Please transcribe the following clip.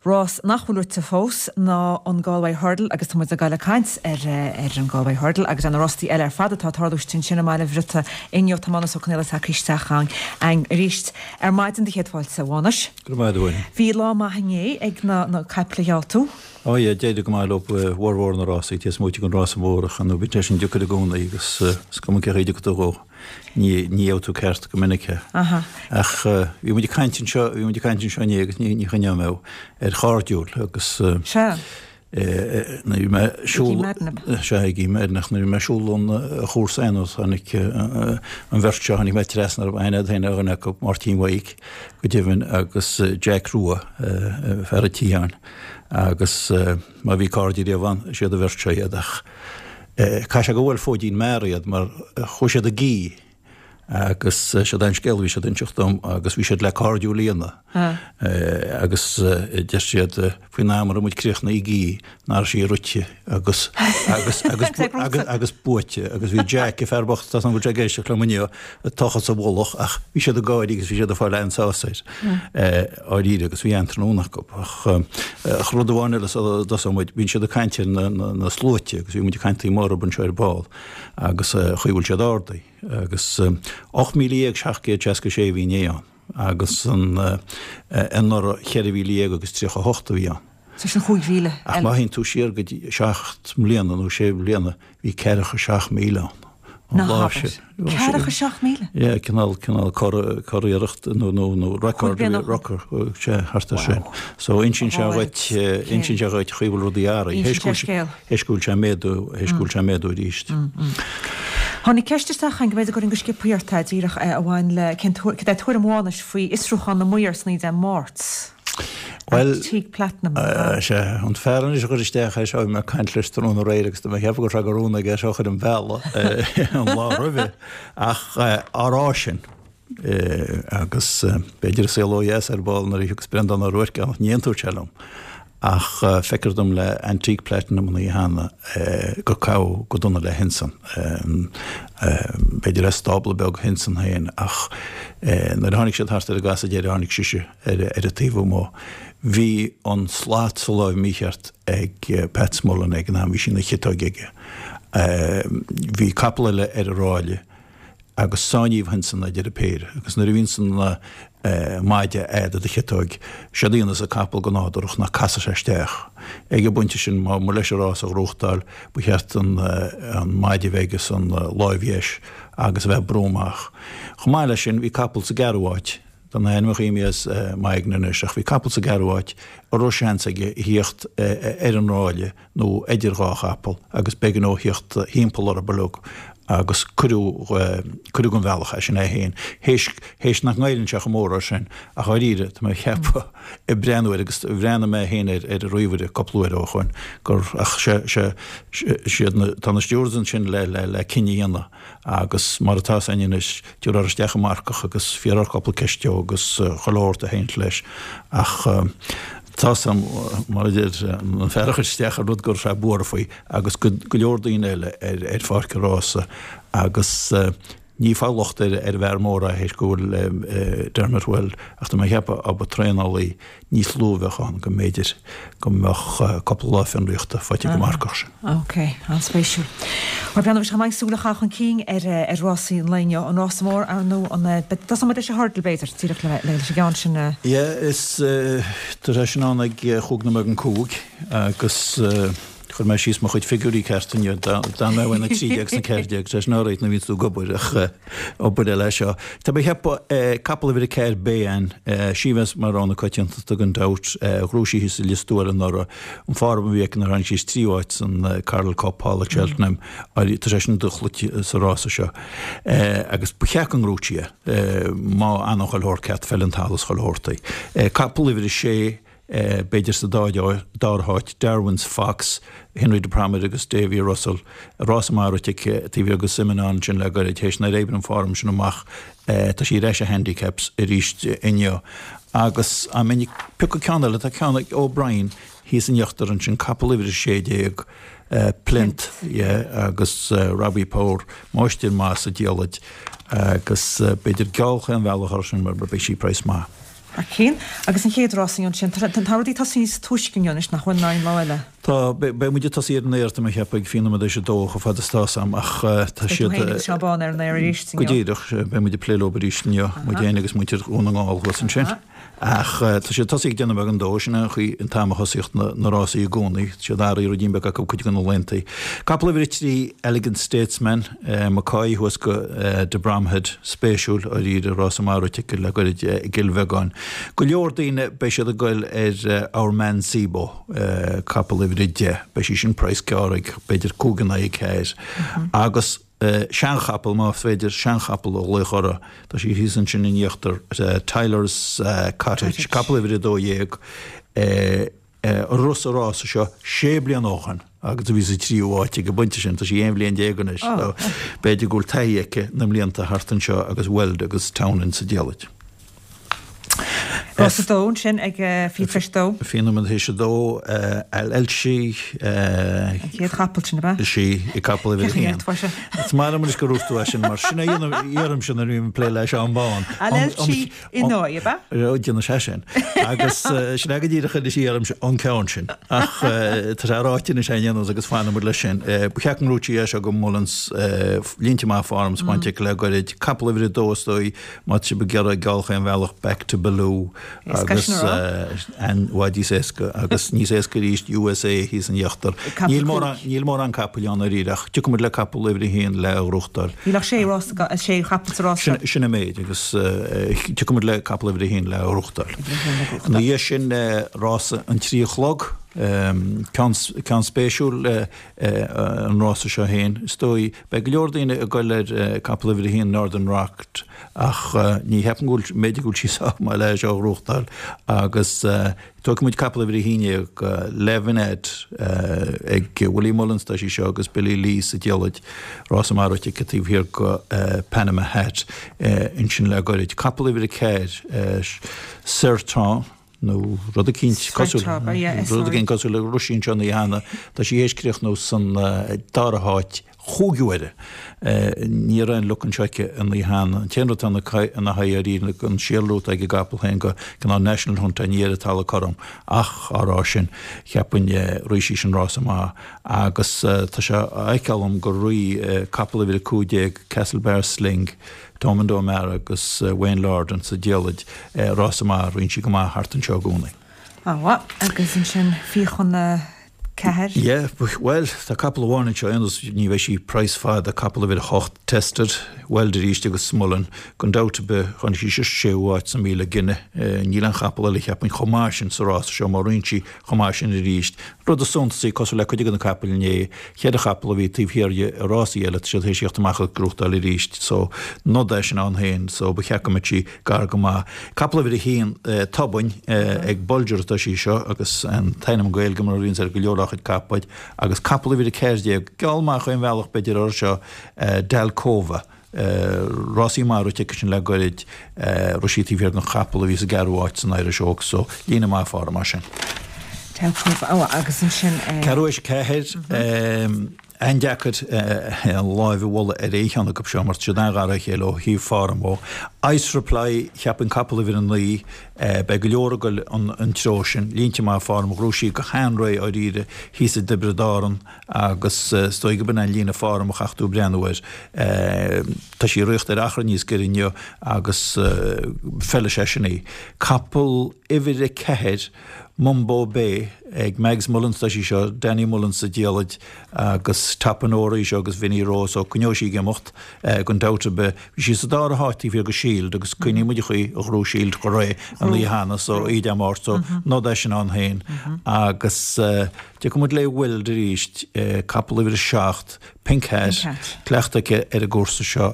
Rás nach bhfuil rite fós ná an Galway Hurdle agus tá muid ag dul ag caint ar ar an Galway Hurdle agus ar na rástaí eile ar fad atá ag tarlú istigh ansin i mBaile Bhriotaigh inniu. Tá Mánus Ó Conghaile tagtha isteach againn arís ar maidin do chéad fáilte, a Mhánais. Go raibh maith agat, a Mhuireann. Bhí lá maith inné ag na na caiple a gheall tú. Ó yeah, d'éirigh go maith leo i bhformhór na rásaí, taobh amuigh den rása mór ach ar ndóigh bíonn sé sin deacair i gcónaí agus is cuma cén chaoi a dtiocfaidh tú dhó. Ní ní gheobhaidh tú ceart go minic é. Ach bhí muid ag caint anseo, bhí muid ag caint anseo inné agus ní ní choinneoidh mé ar chairdiúil agus Sea. nuair a bhí mé ag siúl Sea, Iggy Madden ach nuair a bhí mé ag siúl ón chúrsa aon tháinig an bheirt seo, tháinig mé trasna orthu, aithne agat féin ar dhuine acu, Máirtín Mhaidhc go deimhin agus Jack Rua, fear an tSiatháin agus má bhí cairde riamh ann, is iad an bheirt seo iad ach Caithfidh sé gur bhuail fóidín mear iad mar chuaigh siad i gcith agus siod é an scéal a bhí siad ag inseacht dom agus bhí siad le cairdiúil a dhéanamh agus deir siad faoin am a raibh muid críochnaithe i gcith nach raibh sí rite agus agus agus agus agus buaite agus bhí Jack an fear bocht tá an bhfuil sé ag éisteacht liom inniu ag tochas a mhullach ach bhí siad ag gáirí agus bhí siad ag fáil an-sásamh air. dháiríre agus bhí an-tráthnóna acu. Ach rud amháin eile sula dtosóidh muid, bíonn siad ag caint ar na sluaite agus bhí muid ag caint taobh amuigh orthu anseo ar ball agus an chaoi a bhfuil siad ardaithe agus 18,766 a bhí inné ann agus anuraidh 14,000 agus 38 a bhí ann. So sin 5,000 Ach má théann tú siar go dtí 7 mbliana nó 6 bliana, bhí 47,000 ann an lá sin. 47,000? Yeah, cineál, cineál curiarracht nó, nó, nó record, record, sea, thart ar sin. So insíonn sé dhuit, insíonn sé dhuit chaoi a bhfuil rudaí athraithe. Insíonn sé scéal. Théis go bhfuil sé ag méadú, théis go bhfuil sé ag méadú arís. Tháinig ceist isteach chugainn go mb'fhéidir go gcuirfinn go sciobtha ort é, díreach a bhain le cén tuairim, cad é tuairim Mhánais faoi fhiosrúchán na maor san Dé Máirt. Bhuel, Antique Platinum. Sea, an fear anois a chuir isteach é seo, bhí mé ag caint leis tráthnóna aréir agus tá mé ag ceapadh go raibh sé de rún aige é seo a chur im bhealach an lá roimhe. Ach á rá sin, agus b'fhéidir an saol ó dheas ar ball nuair a thiocfas Breandán Ó Ruairc ann, ní aontóidh sé liom. Ach feictear dom le Antique Platinum an oíche cheana gur caitheadh go dona le Hinson. B'fhéidir as stábla beag Hinson féin ach nuair a tháinig siad thart ar an gcasadh deiridh tháinig sise ar an taobh amuigh. Bhí an slat sa láimh mícheart ag Pat Smullen ag an am, bhí sí ina chiotóig aige. Bhí capall eile ar an ráille. agus sáinníodh Hinson ag deireadh péire, agus nuair a bhíonns an maide a'd i do chiotóig, séard a dhéanas an capall go nádúrach ná casfaidh sé isteach. Ag an bpointe sin, má mba leis an rás a ghnóthachtáil, ba cheart an maide a bheith aige san láimh dheis agus a bheith ag brú amach. Chomh maith leis sin, bhí capall sa gceathrú háit, tá na hainmneacha imithe as m'aigne anois, ach bhí capall sa gceathrú háit a raibh seans aige a thíocht ar an ráille, nó idir dhá chapall agus b'éigean dó thíocht thimpeall orthu uilig agus cuireadh, cuireadh den bhealach é, sin é féin. Théis, théis nach ngoilleann sé chomh mór air sin, ach dháiríre, tá mé ag ceapadh, ag breathnú air agus bhreathnaigh mé féin air ar an ríomhaire cúpla uair ó shoin, gur, ach sé, sé, siad na, tá na stewards ansin le, le, le cinneadh a dhéanamh agus mar atá 's againn anois, Tabharfar isteach an marcach agus fiafrófar cúpla ceist dó agus chuile shórt a théanns leis ach tá 's a'm, mar a deir an fear a chuir isteach an rud go raibh sé buartha faoi agus go leor daoine eile ar pháirc an rása agus ní ag fáil locht ar an bhfear mór é théis go bhfuil Dermot Weld ach tá mé ag ceapadh dá mba traenálaí níos lú a bheadh ann go mb'fhéidir go mbeadh cúpla lá fionraíochta faighte ag an marcach sin. Ok, an-spéisiúil. Bhuel, breathnóidh muid chomh maith súil a chaitheamh chun cinn ar ar rásaí an lae inniu. An rása mór, ar ndóigh, an dtosóidh muid leis an hurdle, b'fhéidir, díreach le leis an gceann sin a. Yeah, is tá sé sin ann ag chúig nóiméad don cúig agus chuir mé síos mo chuid figiúirí ceart inniu. D'fhan mé uaidh na 13 is na 14, sé sin alright nuair a bhíonns tú ag obair ach obair eile é seo. Tá mé ag ceapadh capall uimhir 4 Bayan, sí a bheas mar rogha na coitiantachta gan dabht, ghnóthaigh sí thíos i Lios Tuathail anuraidh, an form a bhí aici nuair a tháinig sí sa tríú háit san Coral Cup thall ag Cheltenham, tá sé sin dochloíte sa rása seo. Agus ba cheart go ngnóthódh sí é má fhanann chuile shórt ceart, feileann an talamh is chuile shórt di. Capall uimhir 6, B'fhéidir sa dara háit, Darwin's Fox, Henry de Bromhead agus Davy Russell, rása maith rite aici taobh thiar de Simenon ansin le gairid, théis nár oibrigh an form sin amach, tá sí ar ais i handicaps arís inniu. Agus dá mbeinn ag piocadh ceann eile, tá ceann ag O'Brien thíos in íochtar ansin, capall uimhir 16, Plinth, yeah, agus Robbie Power, máistir maith sa diallait agus b'fhéidir geall chaon bhealach air sin mar beidh sí praghas maith. Thar cionn. Agus an chéad rás inniu ansin, tá rudaí ag tosaí níos túisce inniu anois nach bhfuil ná an lá eile? Tá, beidh muid ag tosaí ar an aer tá mé ag ceapadh ag 8:20 chomh fada is tá's a'm ach tá siad. Beidh tú féin agus Seán Bán ar an aer arís inniu. Go díreach, beidh muid ag plé leo arís inniu, muid féin agus muintir Dhún na nGall thuas ansin. Ach tá siad tosaí ag déanamh beagán dó, sin é an chaoi an t-am a thosaíodh na rásaí i gcónaí, tá siad athraithe ruidín beag acu cuid de na laethanta. Capall uimhir 3 Elegant Statesman, McCoy thuas go de Bromhead, spéisiúil, dáiríre, rása maith rite aici le goirid i gCill Bheagáin. Go leor daoine, beidh siad ag goil ar Our Man Sibo, capall uimhir 10, beidh sí sin praghas gearr ag b'fhéidir 5 in aghaidh 4. Agus seanchapall, más féidir seanchapall a ghlaoch uirthi, tá sí thíos ansin in íochtar, Tyler's Cottage, capall uimhir 12, a rith sa rása seo sé bliana ó shin agus a bhí sa tríú háit ag an bpointe sin. Tá sí 11 bhliain anois so b'fhéidir go bhfuil taithí aici na mblianta thart anseo agus Weld agus Townend sa diallait. Rás a dó ansin ag fiche tar éis a dó. Fiche nóiméad tar éis a dó, Al Elshi. An chéad chapall sin, ab ea? Is í, i capall uimhir a haon. Is maith liom anois gur dhúirt tú é sin mar sin a deirimse nuair a bhím ag plé le Seán Bán. Al Elshi Inouye, ab ea? Déanann sé sin. Agus sin é go díreach anois a deirimse an ceann sin. Ach tá sé ráite anois againn aon nós agus fanfaidh muid leis sin. Ba cheart go ngnóthódh sí é seo go Mullins línte maith form bainte aici le goirid. Capall uimhir a dó is dóigh má tá sibh ag iarraidh geall chaon bhealach Back to Baloo agus i bhfad níos éasca agus níos éasca arís USA thíos in íochtar. Níl mórán níl mórán capaill ann dáiríre ach tiocfaidh muid le capall uimhir a haon le gnóthachtáil. Níl ach sé rás sé chapall sa rás seo. Sin an méid agus tiocfaidh muid le capall uimhir a haon le gnóthachtáil. Ina dhiaidh sin rása an trí a chlog, ceann ceann spéisiúil an rása seo féin. Is dóigh beidh go leor daoine ag goil ar capall uimhir a haon Northern Rock ach ní cheapaim go bhfuil b'fhéidir go bhfuil sí sách maith le seo a ghnóthachtáil agus Tógfaidh muid capall uimhir 11, Le Vinette, ag Willie Mullins tá sí seo agus Billy Lee sa diallait, rása maith rite aici taobh thiar go Panama Hat ansin le goirid. Capall uimhir 4, Sertan, nó rud eicínt cosúil, rud eicínt cosúil le rith sí anseo an oíche cheana, tá sí théis críochnú san dara háit chúig huaire. Ní raibh aon luck anseo aici an oíche cheana. An t-aon rud atá ina haghaidh dáiríre ná an síolrú atá ag an gcapall féin go cineál National Hunt ní ar an talamh cothrom ach á rá sin cheapfainn rith sí sin rása maith agus tá sé á fheiceáil agam gur rith capall uimhir 15 Castlebar Sling, Thomond O'Meara agus Wayne Lordan sa diallait rása maith, ritheann sí go maith thart anseo i gcónaí. An-mhaith. Agus ansin 3:50. Yeah, bhuel, tá capall amháin anseo, aon nós, ní bheidh sí praghas fada, capall uimhir 8, Tested, Weld arís agus Smullen, gan dabht ar bith, tháinig sí sa séú háit sa 1000 gine, níl aon chapall eile cheapfainn chomh maith sin sa rása seo má ritheann sí chomh maith sin arís. Rud is suntasaí, cosúil le cuid de na capaill inné, cheithre chapall a bhí taobh thiar di i rásaí eile, tá siad théis theacht amach agus gnóthachtáil arís, so nod é sin ann féin, so ba cheart go mbeadh sí gar go maith. Capall uimhir a haon, Tobainn, ag Bolger atá sí seo agus an t-ainm Gaeilge mar a bhíonns ar go leor dá chuid capaill agus capall uimhir 14, geall maith chaon bhealach b'fhéidir air seo, Dalcova. Rásaí maith rite aici sin le goirid, rith sí taobh thiar den chapall a bhí sa gceathrú háit san Irish Oaks so líne maith form mar sin. Dalcova, ó agus ansin. Ceathrú théis 4. An-deacair an láimh a mholadh ar aon cheann acu seo mar tá siad an-ghar dá chéile ó thaobh form dhó. Ice Reply, cheapfainn capall uimhir 9, beidh go leor ag goil an treo sin. Línte maith form, ghnóthaigh sí go han-réidh dáiríre thíos i dTiobraid Árann agus is dóigh go b'in an líne form a chaithfidh tú breathnú air. Tá sí ag rith ar achar níos giorra inniu agus feilfidh sé sin í. Capall uimhir 4, Mumbo Bay, ag Mags Mullins tá sí seo, Danny Mullins sa diallait agus Topanora í seo agus Vinnie Roe so coinneoidh sí ag imeacht gan dabht ar bith. Bhí sí sa dara háit taobh thiar de Shield agus cuimhníonn muid an chaoi a ghnóthaigh Shield go réidh an oíche cheana so oíche Dé Máirt so nod é sin ann féin agus tiocfaidh muid le Weld arís, capall uimhir 7, Pink Hat, cleachtadh aici ar an gcúrsa seo.